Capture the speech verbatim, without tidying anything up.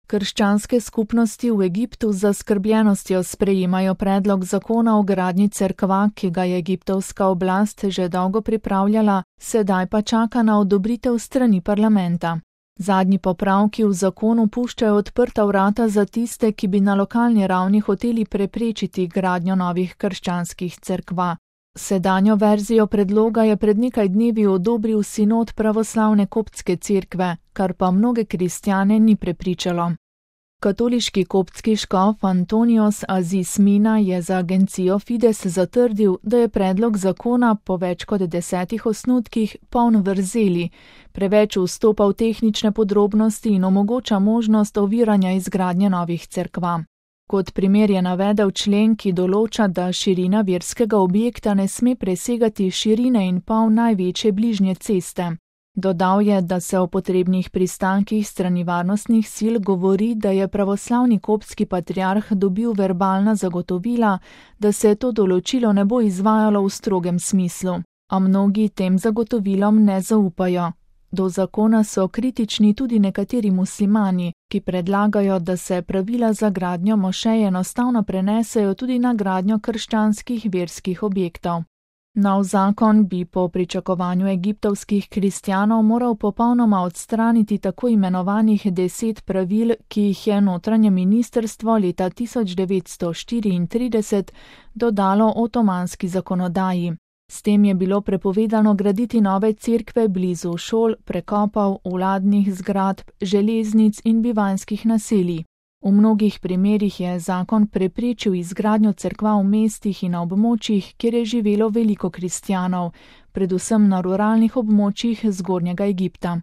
Krščanske skupnosti v Egiptu z zaskrbljenostjo sprejemajo predlog zakona o gradnji cerkva, ki ga je egiptovska oblast že dolgo pripravljala, sedaj pa čaka na odobritev strani parlamenta. Zadnji popravki v zakonu puščajo odprta vrata za tiste, ki bi na lokalni ravni hoteli preprečiti gradnjo novih krščanskih cerkva. Sedanjo verzijo predloga je pred nekaj dnevi odobril sinod pravoslavne koptske cerkve, kar pa mnoge kristjane ni prepričalo. Katoliški koptski škof Antonios Aziz Mina je za agencijo Fides zatrdil, da je predlog zakona po več kot desetih osnutkih poln vrzeli, preveč vstopa v tehnične podrobnosti in omogoča možnost oviranja izgradnje novih cerkva. Kot primer je navedel člen, ki določa, da širina verskega objekta ne sme presegati širine in pol največje bližnje ceste. Dodal je, da se o potrebnih pristankih strani varnostnih sil govori, da je pravoslavni koptski patriarh dobil verbalna zagotovila, da se to določilo ne bo izvajalo v strogem smislu, a mnogi tem zagotovilom ne zaupajo. Do zakona so kritični tudi nekateri muslimani, ki predlagajo, da se pravila za gradnjo mošej enostavno prenesejo tudi na gradnjo krščanskih verskih objektov. Nov zakon bi po pričakovanju egiptovskih kristjanov moral popolnoma odstraniti tako imenovanih deset pravil, ki jih je notranje ministrstvo leta tisoč devetsto štiriintrideset dodalo otomanski zakonodaji. S tem je bilo prepovedano graditi nove cerkve blizu šol, prekopov, vladnih zgradb, železnic in bivanjskih naselij. V mnogih primerih je zakon preprečil izgradnjo cerkva v mestih in na območjih, kjer je živelo veliko kristjanov, predvsem na ruralnih območjih Zgornjega Egipta.